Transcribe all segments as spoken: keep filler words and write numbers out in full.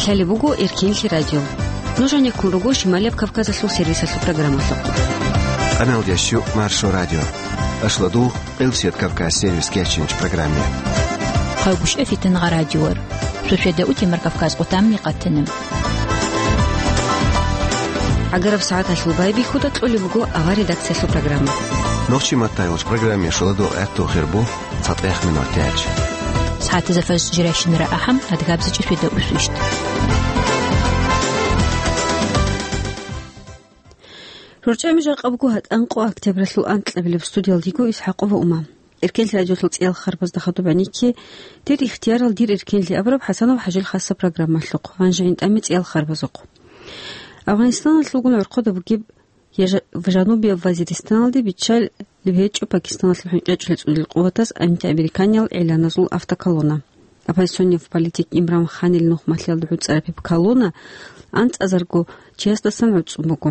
Гьале буго Эркенлъи радио. Нуж гьанеккун руго Шималияб Кавказалъул сервисалъул программалъухъ. Къаналдияс щу Маршо радио. Ашлу дугъ Къилсият Кавказ сервис кечинч программе. Хъавгушев Фитангъа радиор. Шошеда утемар Кавказ къутамни къатана. Агараб сагӀаталъул байбихьуда кьолеб буго авар редакциялъул программа. Нохчи маттайгъуч программе шуладу гӀатту хирбу. ЦатӀех минутач. СагӀатазда фажр жирайщинара ахӀам, адгабзачӀи шведа усвищт. РорчӀами жакъа буго гьатӀан къо октябралъул анкьабилеб, студиялдиго Исхьакъова Ума. Эркенлъи радиолъул цӀиял харбазда хадуб гӀенекке, дир ихтиярал дир эркенлъи абураб ХӀасанов ХӀажил хасса программалъухъ, гьанже гӀинтӀаме цӀиял харбазухъ. Афганистаналъулгун гӀорхъода бугеб Я жа-, Жанубияб Вазиристаналде биччалеб гьечӀо Пакистаналъул хӀинкъичӀлъи цӀунил къуватаз антиамериканияб гӀиланазул автоколонна. Оппозиционный политик Имран Ханил нухмалъиялда гӀуцӀараб гьеб колонна анцӀазарго чиясдасан гӀуцӀун буго.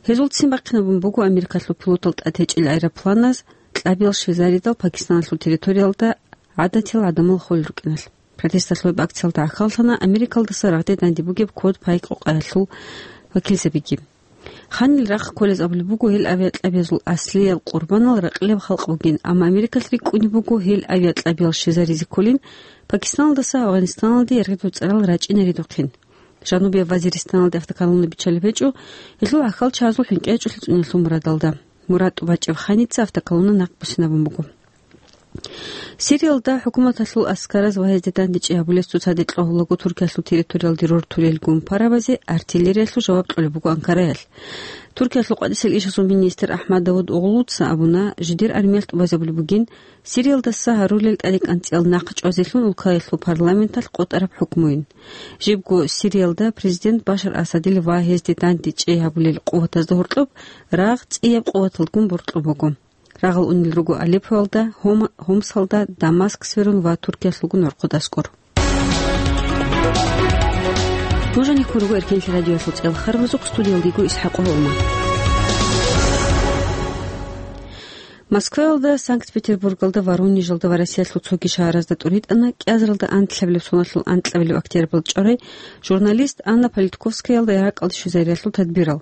Гьезул ццин бахъинабун буго Америкалъул пилотал тӀад гьечӀел аэропланаз кьабиял щвезаридал Пакистаналъул территориялда гӀадатиял гӀадамал холел рукӀиналъ. Протесталъул акциялда гӀахьаллъана Америкалдаса рагъде данде бугеб код пайкъукъаялъул вакилзабиги. Ханил рахъ кколез абулеб буго гьел авиакьабиязул аслияб къурбанал ракьилаб халкъ бугин, амма Америкалъ рикӀкӀунеб буго гьел авиакьабиял щвезаризе кколин Пакистаналдаса Афганистаналде яргъидул цӀарал рачӀинаридухъин. Жанубияб Вазиристаналде автоколонна биччалеб гьечӀо гьелъул гӀахьалчагӀазул хӀинкъичӀлъи цӀуниялъул мурадалда. Мурад тӀубачӀеб Ханица автоколонна нахъ буссинабун буго. Сириялда хӀукуматалъул аскараз ва гьезде дандечӀи гьабулес цоцазде кьвагьулаго Туркиялъул территориялде рортулел гумпарабазе артиллериялъул жаваб кьолеб буго Анкараялъ. Туркиялъул къватӀисел ишазул министр Ахмад Давуд Оглуца абуна, жидер армиялъ тӀубазабулеб бугин Сириялдаса гьарулел тӀадекӀанцӀиял нахъ чӀвазелъун улкаялъул парламенталъ къотӀараб хӀукмуйин. Жибго Сириялда президент Башар Асадил ва гьезде дандечӀи гьабулел къуватазда гьоркьоб рагъ цӀияб къуваталдгун боркьун буго. Рагъал унел руго Алеппоялда, Гьома-, Гьомсалда, Дамаск сверун ва Туркиялъулгун гӀорхъод аскӀор. Нуж гьанеккун руго Эркенлъи радиоялъул цӀиял харбазухъ, студиялдиго Исхьакъова Ума. Москваялда, Санкт-Петербургалда, Воронежалда ва Россиялъул цоги шагьаразда тӀуритӀана кӀиазаралда анлъабилеб соналъул анкьабилеб октябрьалда чӀварай журналист Анна Политковскаялда ракӀалде щвезариялъул тадбирал.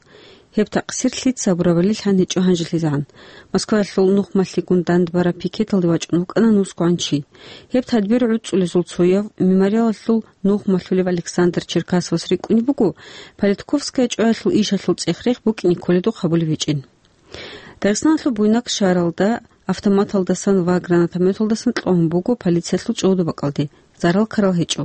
Гьеб такъсир лъица гьабурабали лъан гьечӀо гьанжелъизегӀан. Москваялъул нухмалъигун дандбараб пикеталде вачӀун вукӀана нусгогӀан чи. Гьеб тадбир гӀуцӀулезул цояв, мемориалалъул нухмалъулев Александр Черкасовас рикӀкӀунеб буго, Политковская чӀваялъул ишалъул цӀех-рех букӀине кколедухъ гьабулеб гьечӀин. Дагъистаналъул Буйнакск шагьаралда автоматалдасан ва гранатометалдасан кьун буго полициялъул чӀобда бакӀалде, зарал ккарал гьечӀо.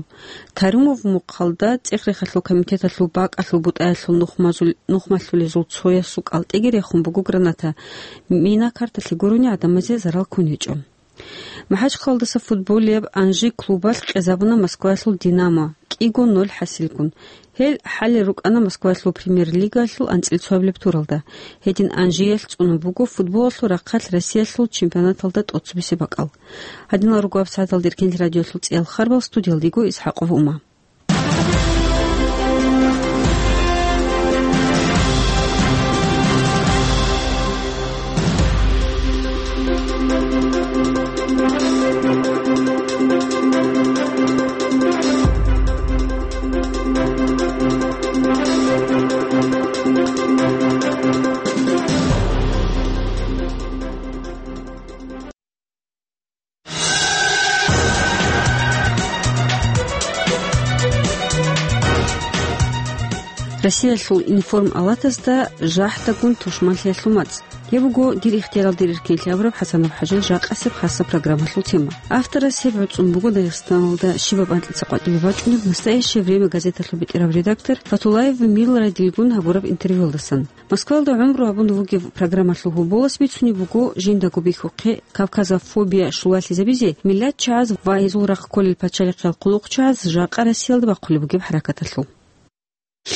Тарумов мухъалда цӀех-рехалъул комитеталъул бакӀалъул бутӀаялъул нухмазул-, нухмалъулезул цоясул кӀалтӀиги рехун буго граната, мина карталъе гурони гӀадамазе зарал ккун гьечӀо. МахӀачхъалдаса футболияб Анжи клубалъ къезабуна Москваялъул Динамо, кӀиго ноль хӀасилгун. Гьел хӀалел рукӀана Москваялъул премьер-лигаялъул анцӀила цоабилеб туралда. Гьедин Анжиялъ цӀунун буго футболалъул рахъалъ Россиялъул чемпионаталда тӀоцебесеб бакӀал. Гьадинал руго гьабсагӀаталда Эркенлъи радиоялъул цӀиял харбал, студиялдиго Исхьакъова Ума. Россиялъул информ-алатазда жахӀдагун тушманлъиялъул мацӀ. Гьеб буго дир ихтиярал дир эркенлъи абураб ХӀасанов ХӀажил жакъасеб хасса программалъул тема. Авторас гьеб гӀуцӀун буго Дагъистаналда щибаб анкьица къватӀибе бачӀунеб «Настоящее время» газеталъул бетӀерав редактор Фатулаев Милрадилгун гьабураб интервьюялдасан. Москваялда гӀумру гьабун вугев программалъул гьоболас бицунеб буго жиндаго бихьухъе кавказофобия щулалъизабизе, миллатчагӀаз ва гьезул рахъ кколел пачалихъиял хъулухъчагӀаз жакъа Россиялда бахъулеб бугеб хӀаракаталъул.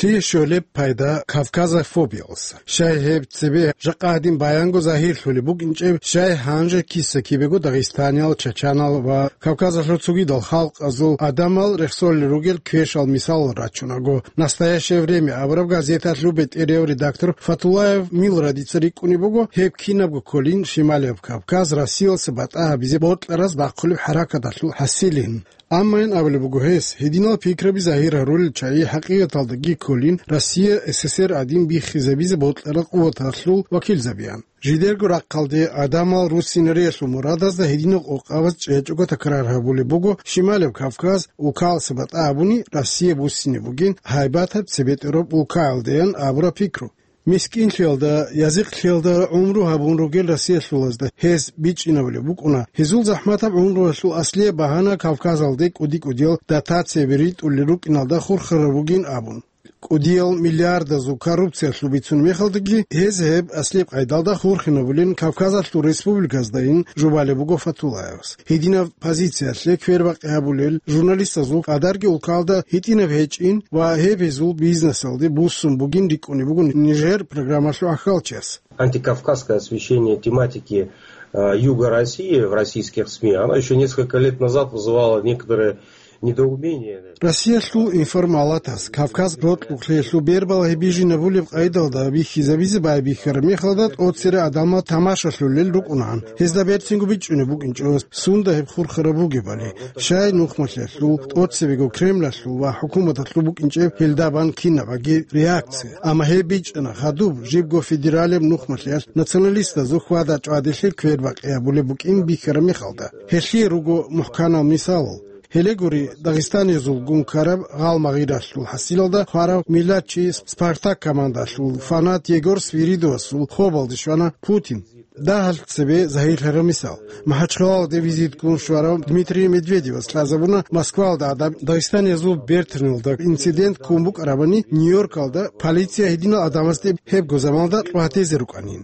Лъие щолеб пайда кавказофобиялъ? Щай гьеб цебе жакъа гьадин баянго загьирлъулеб букӀинчӀеб, щай гьанже киса-кибего дагъистаниял, чачанал ва Кавказалъул цогидал халкъазул гӀадамал рехсолел ругел квешал мисалал рачунаго, «Настоящее время» абураб газеталъул бетӀерав редактор Фатулаев Милрадица рикӀкӀунеб буго, гьеб кинабго кколин Шималияб Кавказ Россиялъе батӀа гьабизе бокьараз бахъулеб хӀаракаталъул хӀасилин. Аммайин абулеб буго гьес, гьединал пикраби загьир гьарулел чагӀи хӀакъикъаталдаги кколин Россия СССР гӀадин биххизабизе бокьарал къуваталъул вакилзабиян. Жидерго рахъалде гӀадамал руссинариялъул мурадазда гьединаб къокъабаз чӀечӀого такрар гьабулеб буго Шималев Кавказ улкаялдаса батӀа гьабуни Россия буссине бугин гьайбатаб цебе тӀураб улкаялдаян абураб пикру. Мискинлъиялда, язихълъиялда гӀумру гьабун ругел россиялъулазда гьез бичӀчӀинабулеб букӀуна, гьезул захӀматаб гӀумруялъул аслияб багьана Кавказалде кӀуди-кӀудиял дотацияби ритӀулел рукӀиналда хурхараб бугин абун. КӀудиял миллиардазул коррупциялъул бицун мехалдаги, гьез гьеб аслияб къайдалда хурхинабулин Кавказалъул республиказдайин жубалеб буго Фатуллаевас. Гьединаб позициялъе квербакъи гьабулел журналистазул къадарги улкалда гьитӀинаб гьечӀин ва гьеб гьезул бизнесалде буссун бугин рикӀкӀунеб буго нижер программалъул ахӀалчияс. Антикавказское освещение тематики, э, Юга России в российских СМИ, оно ещё несколько лет назад вызывало некоторое недоумение. Россиялъул информалатас Кавказ рокьукълъиялъул бербал гьеб бижинабулеб къайдалда бихьизабизе байбихьараб мехалда тӀоцере гӀадамал тамашалъулел рукӀунаан, гьезда берцинго бичӀчӀунеб букӀинчӀо, сунда гьеб хурхараб бугебали, щай нухмалъиялъул, тӀоцебего Кремлалъул ва хӀукуматалъул букӀинчӀеб гьелдабан кинабаги реакция. Амма гьеб бичӀчӀана хадуб, жибго федералияб нухмалъиялъ националистазул хьвада-чӀвадилъи квербакъи гьабулеб букӀин бихьараб мехалда. Гьелъие руго мухӀканал мисалал. Гьеле гури, дагъистаниязулгун ккараб гъалмагъиралъул хӀасилалда хварав миллатчи Спартак командалъул фанат Егор Свиридовасул хобалде щвана Путин. Дагьалъ цебе загьирлъараб мисал. МахӀачхъалалде визитккун щварав Дмитрий Медведевас лъазабуна Москвалда гӀадаб Дагъистаниязул бертаналда инцидент ккун букӀарабани, Нью-Йоркалда полиция гьединал гӀадамазде гьебго заманалда кьватезе рукӀанин.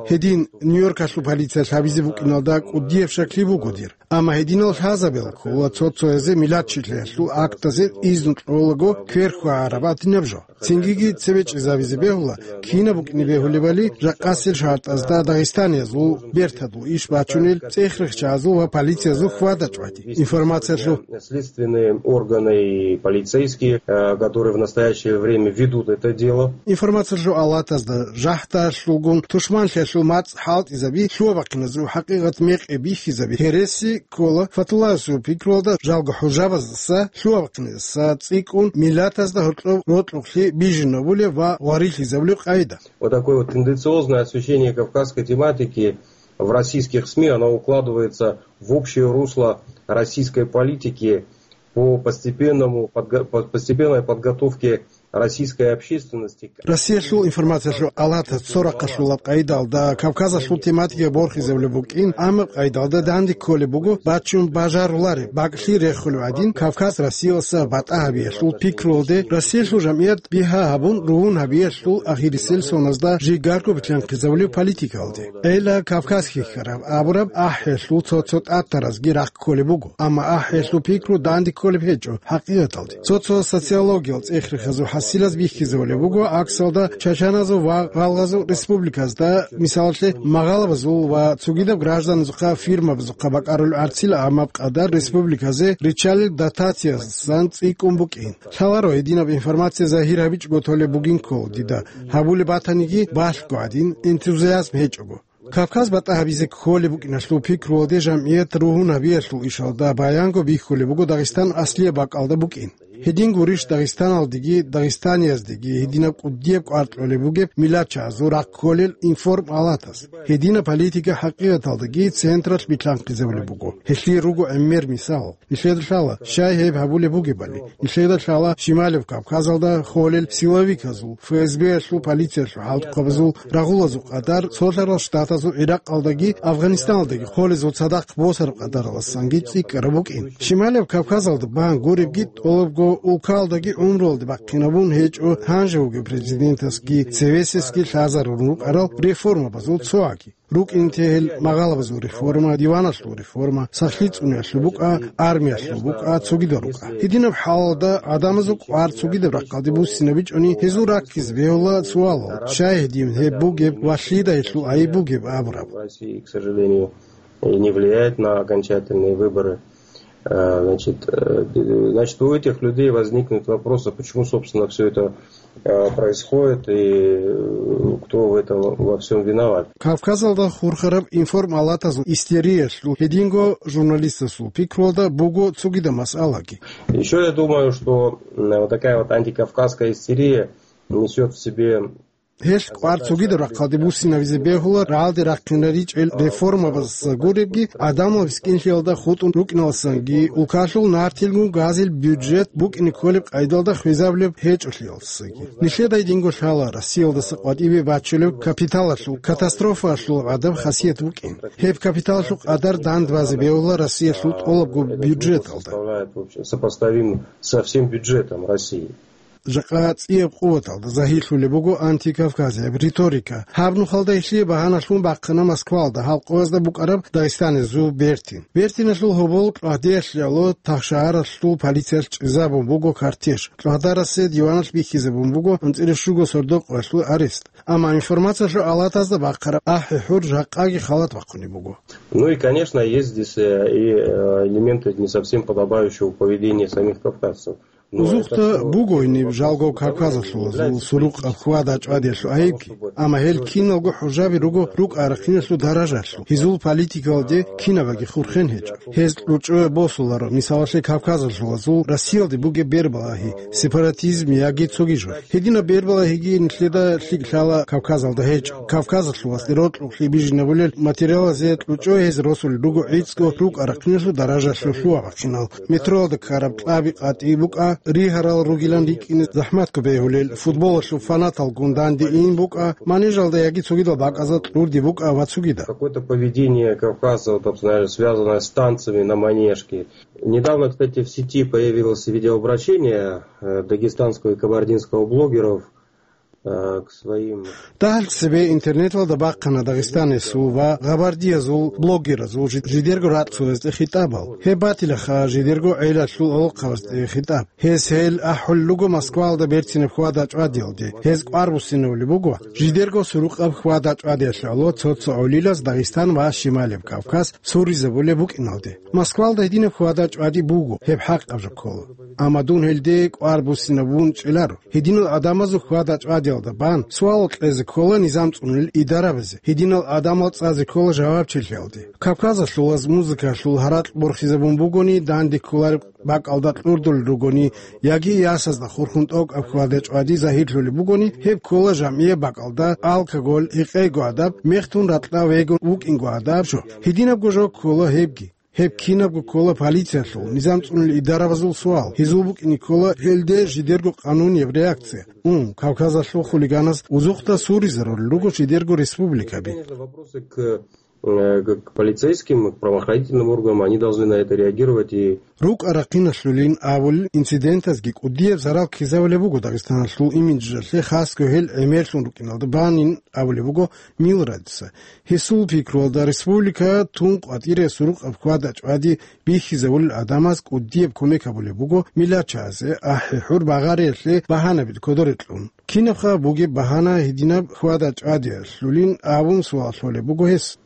Гьедин Нью-Йоркалъул полициялъ гьабизе букӀиналда кӀудияб щаклъи буго дир. Амма гьединал лъазабел ккола цо-цоязе миллатчилъиялъул актазе изну кьолаго квер хьвагӀараб гьадинаб жо. Цингиги цебе чӀезабизе бегьула, кинаб букӀине бегьулебали, жакъасел шартӀазда дагъистаниязул бертадул иш бачунел цӀех-рехчазул ва полициязул хьвада-чӀвади. Информациялъул Следственные органы и полицейские, э, которые в настоящее время ведут это дело. Информациялъул алатазда жахӀдалъулгун тушманлъиялъул мацӀ хӀалтӀизаби, лъугьа-бахъиназул хӀакъикъат мекъи бихьизаби гьереси ккола Фатуллаевасул пикруялда жалго хӀужабаздаса, лъугьа-бахъиназаса цӀикӀкӀун миллатазда гьоркьоб рокьукълъи бижинабулеб ва гъварилъизабулеб къайда. Вот такое вот тенденциозное освещение кавказской тематики в российских СМИ, оно укладывается в общее русло российской политики по постепенному подго-, по постепенной подготовке российской общественности. Россиялъул информациялъул алатас цо рахъалъулаб къайдалда Кавказалъул тематика борхизабулеб букӀин, амма къайдалда данде кколеб буго бачун бажарулареб, бакӀлъи рехулев гӀадин, Кавказ Россиялдаса батӀа гьабиялъул пикруялде, Россиялъул жамгӀият бигьа гьабун ругьун гьабиялъул ахирисел соназда жигарго билълъанхъизабулеб политикаялде. Эла Кавказ хьихьараб абураб ахӀиялъул цо-цо тӀатаразги рахъ кколеб буго, амма ахӀиялъул пикру данде кколеб гьечӀо хӀакъикъаталде. Цо-цо социологиял цӀех-рехазул хӀасилаз бихьизабулеб буго, аксалда чачаназул ва гъалгъазул республиказда, мисалалъе, магъалабазул ва цогидаб гражданазухъа фирмабазухъа бакӀарулеб гӀарцил амаб къадар республиказе риччалел дотациязасан цӀикӀкӀун букӀин. Лъаларо гьединаб информация загьир гьабичӀого толеб бугин ккола дида, гьабулеб батаниги балъго гӀадин, энтузиазм гьечӀого. Кавказ батӀа гьабизе кколеб букӀиналъул пикруялде жамгӀият ругьун гьабиялъул ишалда баянго бихьулеб буго Дагъистан аслияб бакӀалда букӀин. Гьедин гурищ Дагъистаналдеги, дагъистанияздеги гьединаб кӀудияб кӀвар кьолеб бугеб миллатчагӀазул рахъ кколел информалатас. Гьединаб политика хӀакъикъаталдаги централъ билълъанхъизабулеб буго. Гьелъие руго гӀемер мисал. Нилъеда лъала, щай гьеб гьабулеб бугебали. Нилъеда лъала Шималев Кавказалда холел силовиказул, ФСБ-ялъул, полициялъул хӀалтӀухъабазул, рагъулазул къадар, Цолъарал Штатазул Иракъалдаги Афганистаналдаги холезул цадахъ босараб къадаралдасанги цӀикӀкӀараб букӀин. Шималев Кавказалда бан гуребги тӀолабго улкалдаги гӀумруялде бахъинабун гьечӀо гьанже вугев президентасги цевесесги лъазарун рукӀарал реформабазул цоги. РукӀин те гьел магъалабазул реформа, диваналъул реформа, сахлъи цӀуниялъул букӀа, армиялъул букӀа, цогидал рукӀа. Гьединаб хӀалалда гӀадамазул кӀвар цогидаб рахъалде буссинабичӀони, гьезул раккизе бегьула суалал, щай гьедин гьеб бугеб ва лъида гьелъул гӀайиб бугеб абураб. России, к сожалению, и не влияет на окончательные выборы. Э, значит, э, значит, у этих людей возникнут вопросы, почему, собственно, все это э, происходит и э, кто в этом во всем виноват. Кавказалда хурхараб информалатазул истериялъул гьединго журналистасул пикруялда буго цогида масъалаги. Еще я думаю, что м, вот такая вот антикавказская истерия несет в себе Гьелъ кӀвар цогидаб рахъалде буссинавизе бегьула рагӀалде рахъинаричӀел реформабаз гуребги, адамал мискинлъиялда хутӀун рукӀиналдасанги, улкалъул нартилгун газил бюджет букӀине кколеб къайдалда хвезабулеб гьечӀолъиялдасаги. Нилъеда гьединго лъала Россиялдаса къватӀибе бачулеб капиталалъул, катастрофаялъул гӀадаб хасият букӀин. Гьеб капиталалъул къадар дандбазе бегьула Россиялъул тӀолабго бюджеталда. Представляет, в общем, сопоставим со всем бюджетом России. Жакъа цӀияб къуваталда загьирлъулеб буго антикавказияб риторика. Гьаб нухалда гьелъие багьаналъун бахъана Москвалда гьалкъоязда букӀараб Дагъистанизул Бертин. Бертиналъул гьобол КьвагӀдиялъ гӀоло Тахшагьаралъул полициялъ чӀезабун буго кортеж. КьвагӀдарасе диваналъ бихьизабун буго анцӀила щуго сордо-къоялъул арест. Амма информациялъул алатазда бахъараб ахӀи-хӀур жакъаги халат бахъунеб буго. Ну и, конечно, есть здесь э, и э, элементы не совсем подобающего поведения самих кавказцев. Узухъда буго гьениб жалго кавказалъулазул сурукъаб хьвада-чӀвадиялъул айибги, амма гьел киналго хӀужаби руго рукӀа-рахъиналъул даражалъул, гьезул политикалде кинабаги хурхен гьечӀо. Гьез кьучӀое босуларо, мисалалъе, кавказалъулазул Россиялде бугеб бербалагьи, сепаратизм яги цоги жо. Гьединаб бербалагьиги нилъеда лъикӀ лъала Кавказалда гьечӀо. Кавказалъулазде рокьукълъи бижинабулел материалазе кьучӀое гьез росулел руго гӀицӀго рукӀа-рахъиналъул даражалъул лъугьа-бахъинал. Метроялда ккараб кьаби къватӀи букӀа, ригьарал ругилан рикӀкӀине захӀматго бегьулел, футболалъул фанаталгун данде ин букӀа, манежалда яги цогидал бакӀазда кьурди букӀа ва цогидал. Какое-то поведение кавказцев, там, знаешь, связанное с танцами на манежке. Недавно, кстати, в сети появилось видеообращение э, дагестанского и кабардинского блогеров э, к своим Дагьал цебе интернеталда бахъана Дагъистанасул ва Гъабардиязул блогеразул жи-, жидерго рацӀцӀалазде хитӀабал. Гьеб батилаха жидерго гӀелалъул гӀолохъабазде хитӀаб. Гьез гьел ахӀулел руго Москваялда берцинаб хьвада-чӀвадиялде. Гьез кӀвар буссинавулеб буго жидерго сурукъаб хьвада-чӀвадиялъ гӀоло цо-цо гӀолилаз Дагъистан ва Щималеб Кавказ суризабулеб букӀиналде. Москваялда гьединаб хьвада-чӀвади буго, гьеб хӀакъаб жо ккола. Амма дун гьелде кӀвар буссинабун чӀеларо. Гьединал гӀадамазул хьвада-чӀвадиялда бан суал кьезе ккола низам цӀунулел идарабазе. Гьединал гӀадамал цӀазе ккола жавабчилъиялде. Кавказалъулаз музыкалъул гьаракь борхизабун бугони, данде кколареб бакӀалда кьурдулел ругони, яги ясазда хурхун тӀокӀаб хьвада-чӀвади загьирлъулеб бугони, гьеб ккола жамгӀияб бакӀалда алкоголь, гьекъего гӀадаб, мехтун ракьа вегун вукӀинго гӀадаб жо. Гьединабго жо ккола гьебги. Гьеб кинабго ккола полициялъул, низам цӀунулел идарабазул суал. Гьезул букӀине ккола гьелде жидерго къанунияб реакция. Ун, Кавказалъул хулиганаз узухъда суризарулел руго жидерго республикаби. Конечно, вопросы к, э, к, к полицейским, к правоохранительным органам, они должны на это реагировать и РукӀа-рахъиналъулин абулел инцидентазги кӀудияб зарал ккезавулеб буго Дагъистаналъул имиджалъе, хасго гьел гӀемерлъун рукӀиналда банин абулеб буго Милрадица. Гьесул пикруялда, республика тун къватӀире сурукъаб хьвада-чӀвади бихьизавулел гӀадамаз кӀудияб кумек гьабулеб буго миллачазе, ахӀи-хӀур багъариялъе багьанаби кодоре кьун. Кинабха бугеб багьана гьединаб хьвада-чӀвадиялъулин абун суал лъолеб буго гьес.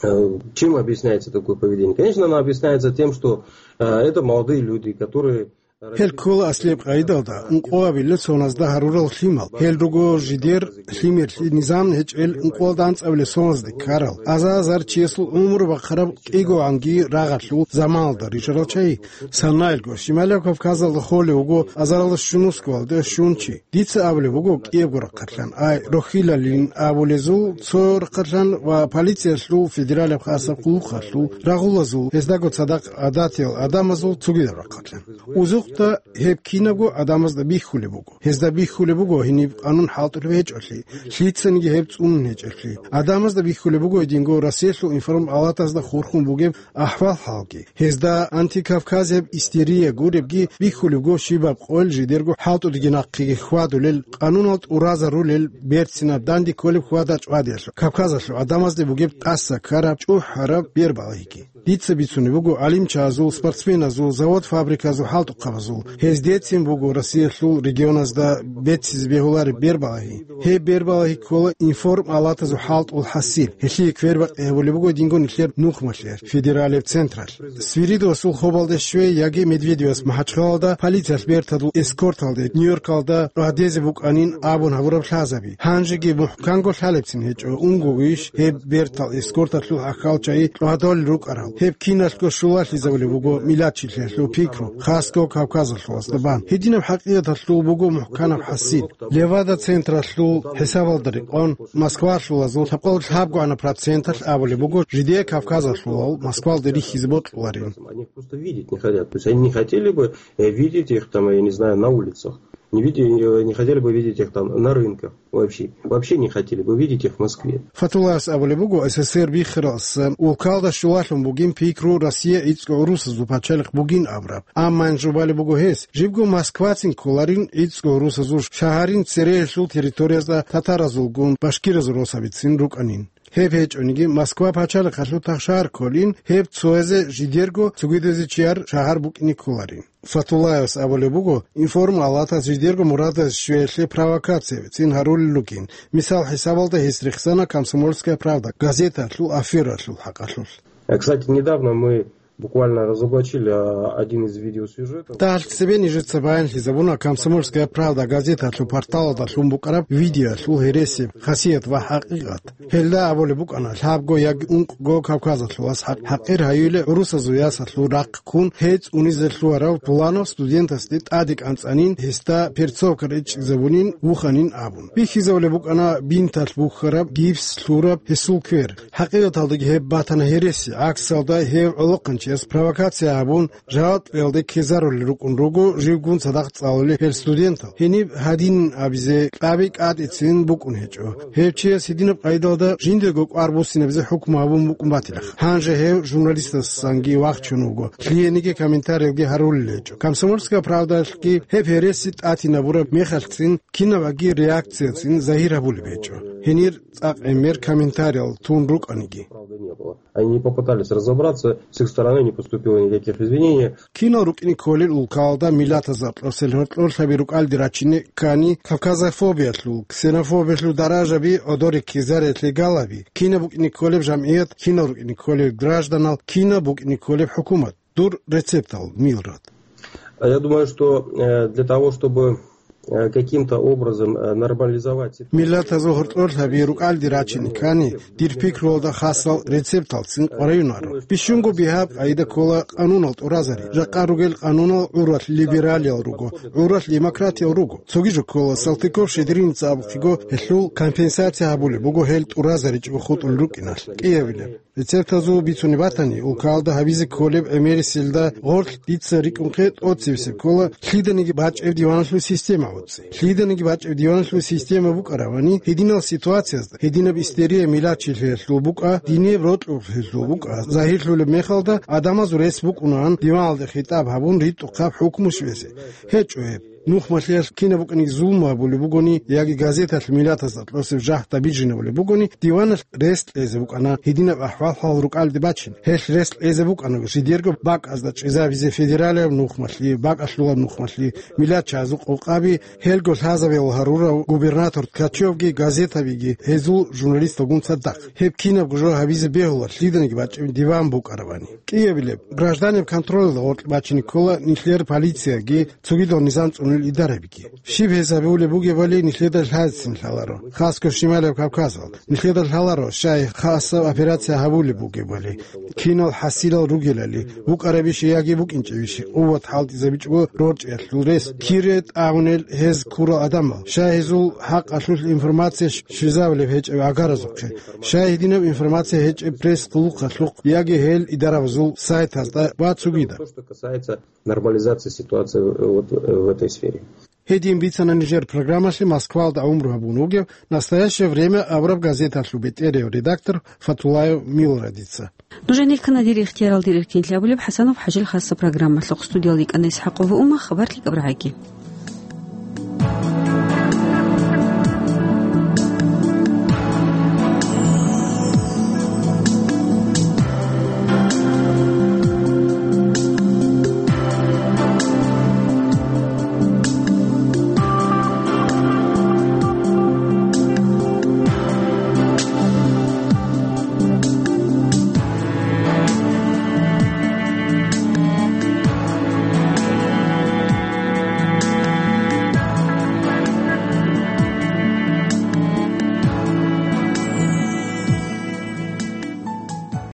Э, Чем объясняется такое поведение? Конечно, оно объясняется тем, что э, это молодые люди, которые Гьел ккола аслияб къайдалда, ункъоабилеб соназда гьарурал лъимал. Гьел руго жидер лъимерлъи низам гьечӀел ункъоялда анцӀабилеб соназде ккарал. Аза-азар чиясул умру бахъараб кӀигогӀанги рагъалъул заманалда рижарал чагӀи. Санаялго Щималаб Кавказалда холев вуго азаралда щунусго валде щун чи. Дица абулеб буго кӀиябго рахъалъан, ай, рохьилалин абулезул цо рахъалъан ва полициялъул федералаб хасаб къуллукъалъул рагъулазул, гьездаго цадахъ гӀадатиял гӀадамазул цогидаб рахъалъан. Узухъда гьеб кинабго гӀадамазда бихьулеб буго. Гьезда бихьулеб буго гьениб къанун хӀалтӀулеб гьечӀолъи, лъицаниги гьеб цӀунун гьечӀолъи. ГӀадамазда бихьулеб буго гьединго Россиялъул информалатазда хурхун бугеб ахӀвал-хӀалги. Гьезда антикавказияб истерия гуребги бихьулеб буго щибаб къойил жидерго хӀалтӀудеги нахъеги хьвадулел, къанунал тӀуразарулел, берцинаб данде кколеб хьвада-чӀвадиялъул, Кавказалъул гӀадамазде бугеб тӀаса ккараб чӀухӀараб бербалагьиги. Дица бицунеб буго гӀалимчазул, спортсменазул, завод-фабриказул хӀалтӀухъабазул. Гьездецин буго Россиялъул регионазда беццизе бегьулареб бербалагьи. Гьеб бербалагьи ккола информ-алатазул хӀалтӀул хӀасил. Гьелъие квербакъи гьабулеб буго динго нилъер нухмалъе, федералеб централъ. Свиридовасул хобалде щвей яги Медведевас МахӀачхъалалда полициялъ бертадул эскорталде Нью-Йоркалда рагьдезе букӀанин абун гьабураб лъазаби. Гьанжеги мухӀканго лъалебцин гьечӀо, унгогойищ гьеб бертал эскорталъул ахьалчагӀи рагьдолел рукӀарал. Гьеб киналъго щулалъизабулеб буго миллатчилъиялъул пикру, хасго Кавказалъуласда бан. Гьединаб хӀакъикъаталъул буго мухӀканаб хӀасил. Левада централъул хӀисабалда рекъон, Москвалъулазул лъабкъоялда лъабгогӀанаб проценталъ абулеб буго, жидее Кавказалъулал Москвалде рихьизе бокьуларин. Они просто видеть не хотят. То есть они не хотели бы, э, видеть их там, я не знаю, на улицах. Не виде-, э, не хотели бы видеть их там на рынках вообще. Вообще не хотели бы видеть их в Москве. Фатуллаевас абулеб буго, СССР биххаралдаса улкалда щулалъун бугин пикру Россия гӀицӀго гӀурусазул пачалихъ бугин абураб. Амма гьанже балеб буго гьес, жибго Москвацин кколарин гӀицӀго гӀурусазул шагьарин цереялъул территориязда татаразулгун башкиразул росабицин рукӀанин. Гьеб гьечӀониги, Москва пачалихъалъул тахшагьар кколин, гьеб цоязе жидерго цогидазе чияр шагьар букӀине кколарин. Фатуллаевас абулеб буго, информ-алатас жидерго мурадаз щвеялъе провокациябицин гьарулел ругин. Мисал хӀисабалда гьес рехсана «Комсомольская правда» газеталъул афералъул хӀакъалъулъ. Э, кстати, недавно мы буквально разоблачили, а, один из видеосюжетов. Дагьалъ цебе нижеца баянлъизабуна «Комсомольская правда» газеталъул порталалда лъун букӀараб видеоялъул гьересияб хасият ва хӀакъикъат. Гьелда абулеб букӀана, лъабго яги ункъго кавказалъулас хӀакъ-, хӀакъир гьаюле гӀурусазул ясалъул рахъ ккун, гьей цӀунизе лъугьарав Буланов студентасде тӀаде кӀанцӀанин, гьесда перцовка речӀчӀизабунин, вуханин абун. Бихьизабулеб букӀана бинталъ бухьараб, гипс лъураб гьесул квер. ХӀакъикъаталдаги гьеб батана гьереси, гӀаксалда гьев гӀолохъанчияс провокация гьабун, жаваб кьеялде ккезарулел рукӀун руго живгун цадахъ цӀалулел гьел студентал. Гьениб гьадин абизе кьаби кӀатӀицин букӀун гьечӀо. Гьев чияс гьединаб къайдалда жиндего кӀвар буссинабизе хӀукму гьабун букӀун батилаха. Гьанже гьев журналистасанги вахчун вуго, лъиениги комментариялги гьарулел гьечӀо. «Комсомольская правдалъги» гьеб гьереси тӀатинабураб мехалъцин кинабаги реакцияцин загьир гьабулеб гьечӀо. Гьенир цӀакъ гӀемер комментариял тун рукӀаниги. Они не попытались разобраться, с их стороны не поступило никаких извинений. Кинал рукӀине кколел улкалда миллатазда кьосел гьоркьорлъаби рукӀалде рачине ккани, кавказофобиялъул, ксенофобиялъул даражаби гӀодоре ккезариялъе галаби, кинаб букӀине кколеб жамгӀият, кинал рукӀине кколел гражданал, кинаб букӀине кколеб хӀукумат. Дур рецептал, Милрат. А я думаю, что, э, для того, чтобы, э, каким-то образом, э, нормализовать ситуацию. Миллатазул гьоркьорлъаби рукӀалде рачине ккани, дир пикруялда хасал рецепталцин къвараюнаро. Бищунго бигьаб къайда ккола къанунал тӀуразари. Жакъа ругел къанунал гӀуралъ либералиял руго, гӀуралъ демократиял руго. Цоги жо ккола, Салтыков-Щедриница абухъего гьелъул компенсация гьабулеб буго гьел тӀуразаричӀого хутӀулел рукӀиналъ. КӀиябилеб. Рецептазул бицунеб батани, улкалда гьабизе кколеб гӀемерисилда гъорлъ дица рикӀкӀунхъе тӀоцебесеб ккола лъиданиги бачӀеб диваналъул система гӀуцӀи. Лъиданиги бачӀеб диваналъул система букӀаравани, гьединал ситуациязда, гьединаб истерия миллатчилъиялъул букӀа, диниб рокьулъиялъул букӀа, загьирлъулеб мехалда, гӀадамазул рес букӀунаан диваналде хитӀаб гьабун ритӀухъаб хӀукму щвезе. ГьечӀо гьеб. Нухмалъиялъ кинаб букӀаниги зулму гьабулеб бугони яги газеталъ миллатазда кьосеб жагьда бижинабулеб бугони, диваналъ рес кьезе букӀана гьединаб ахӀвал-хӀал рукӀалде бачине. Гьелъ рес кьезе букӀана жидерго бакӀазда чӀезабизе федералияб нухмалъи, бакӀалъулаб нухмалъи, миллатчагӀазул къокъаби, гьелго лъазабиял гьарурав губернатор Ткачевги газетабиги гьезул журналисталгун цадахъ. Гьеб кинабго жо гьабизе бегьула лъиданиги бачӀеб диван букӀаравани. КӀиябилеб, гражданиб контролалда гъоркь бачине ккола нилъер полицияги, цогидал низам цӀунел идарабиги. Щиб гьез гьабиулеб бугебали нилъеда лъазецин лъаларо, хасго Шималияб Кавказал. Нилъеда лъаларо, щай хасаб операция гьабулеб бугебали, кинал хӀасилал ругелали, букӀарабищи яги букӀинчӀебищи къуват хӀалтӀизабичӀого рорчӀиялъул рес, кире тӀагӀунел гьез ккурал гӀадамал, щай гьезул хӀакъалъулъ информация щ-, щвезабулеб гьечӀеб гӀагаразухъе, щай гьединаб информация гьечӀеб пресс-къуллукъалъухъ яги гьел идарабазул сайтазда ва цогидаб. То, что касается нормализации ситуации в, вот, в этой сфере. Гьедин бицана нижер программалъе Москвалда гӀумру гьабун вугев «Настоящее время» абураб газеталъул бетӀерав редактор Фатуллаев Милрадица. Нужер нилъ ккана «Дир ихтиярал, дир эркин» абулеб ХӀасанов ХӀажил хасаб программалъухъ. Студиялда йикӀана ИсхӀакъова Умма, хабар кьикӀаб рагӀаги.